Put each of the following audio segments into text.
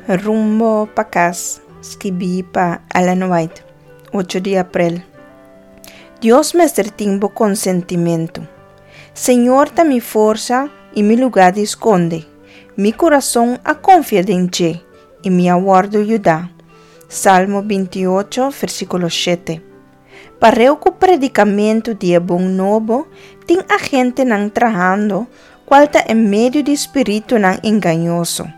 Rumbo pa kas, skibí pa Ellen White, 8 di aprel. Dios mester tin bo konsentimentu. Señor ta mi forsa i mi lugá di skonde. Mi kurason a konfia den dje, i mi a wòrdu yudá. Salmo 28, versíkulo 7. Pareu ku predikamentu di e bon nobo, tin agentenan trahando, kual ta en medio di spiritunan engañoso.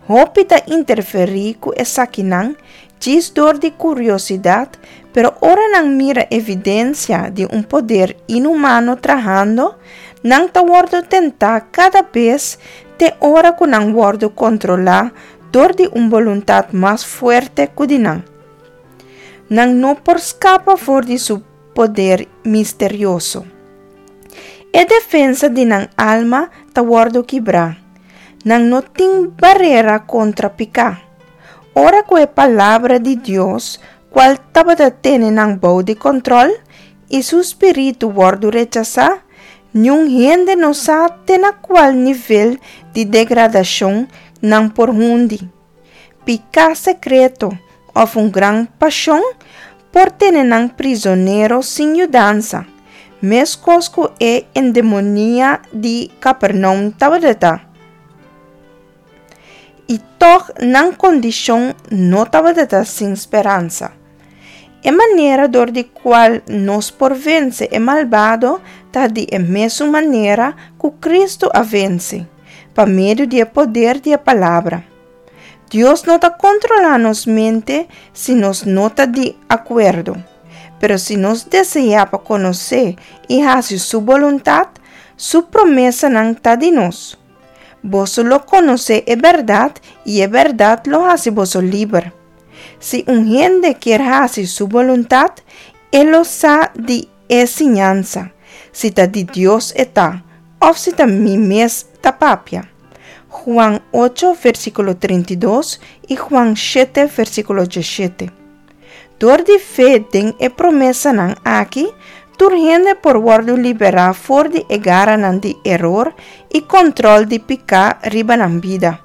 Hopi ta interferí ku esakinan djis dor di kuriosidat, pero ora nan mira evidensia di un poder inhumano trahando, nan ta wòrdu tentá kada bes te ora ku nan wòrdu kontrolá dor di un boluntat mas fuerte ku di nan. Nan no por skapa for di su poder misterioso. E defensa di nan alma ta wòrdu kibrá. Nan no tin barera kontra piká. Ora ku e Palabra di Dios, kual tabata tene nan bou di kòntròl, i su spiritu wòrdu rechasá, niun hende no sa te na kual nivel di degradashon nan por hundi. Piká sekreto òf un gran pashon por tene nan prizonero sin yudansa, meskos ku e endemonia di Kapernaum tabata ta. I tòg nan kondishon no tabata ta sin speransa. E manera dor di kual nos por vense e malbado ta di e mesun manera ku Kristu a vense, pa medio di e poder di e Palabra. Dios no ta kontrolá nos mente si nos no ta di akuerdo. Pero si nos deseá pa konosé i hasi su boluntat, su promesanan ta di nos. Boso lo konosé e bèrdat i e bèrdat lo hasi boso liber. Si un hende kier hasi su boluntat, e lo sa di e siñansa, si ta di Dios e ta, òf si ta mi mes ta papia. Juan 8, versíkulo 32 i Juan 7, versíkulo 17. Dor di fe den e promesanan aki, tur hende por wòrdu liberá for di e garanan di eror i kòntròl di piká riba nan bida.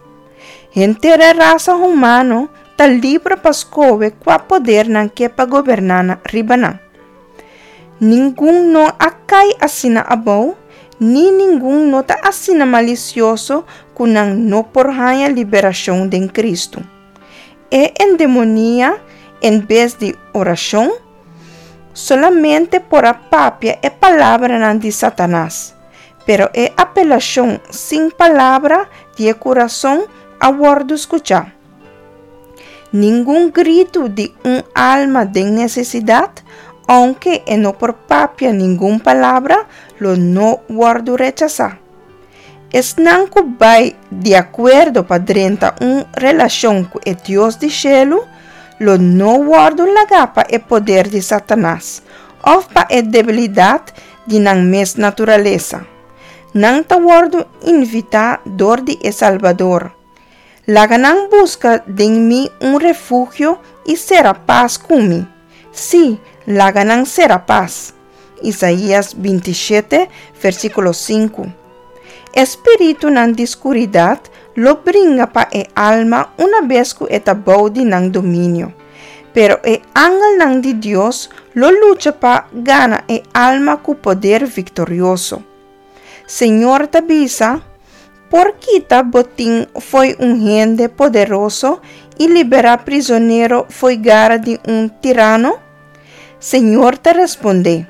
Henter e rasa humano ta libre pa skohe kua poder nan ke pa goberná riba nan. Ningun no a kai asina abou, ni ningun no ta asina malisioso ku nan no por haña liberashon den Kristu. E endemonia, en bes di orashon, solamente por a papia e palabranan di Satanas, pero e apelashon sin palabra di e kurason a wòrdu skuchá. Ningun gritu di un alma den nesesidat, ounke e no por papia ningun palabra, lo no wòrdu rechasá. Esnan ku bai di akuerdo pa drenta un relashon ku e Dios di shelu lo no wòrdu lagá pa e poder di Satanas òf pa e debilidat di nan mes naturalesa. Nan ta wòrdu invitá dor di e Salbador. Laga nan buska den mi un refugio i sera pas ku mi. Sí, laga nan sera pas. Isaías 27, versíkulo 5. E spiritunan di skuridat lo bringa pa e alma una bes ku e ta bou di nan dominio. Pero e angelnan di Dios lo lucha pa gana e alma ku poder viktorioso. Señor ta bisa, Por kita botin fo'i un hende poderoso i liberá prizonero fo'i gara di un tirano? Señor ta respondé,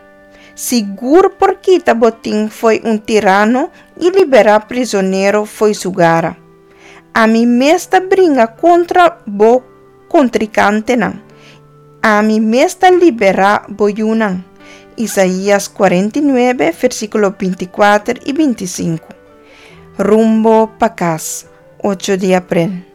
Sigur por kita botin fo'i un tirano i liberá prizonero fo'i su gara. Ami mes ta bringa kontra bo kontrikantenan. Ami mes ta liberá bo yunan. Isaías 49, versíkulo 24 i 25. Rumbo pa kas, 8 di aprel.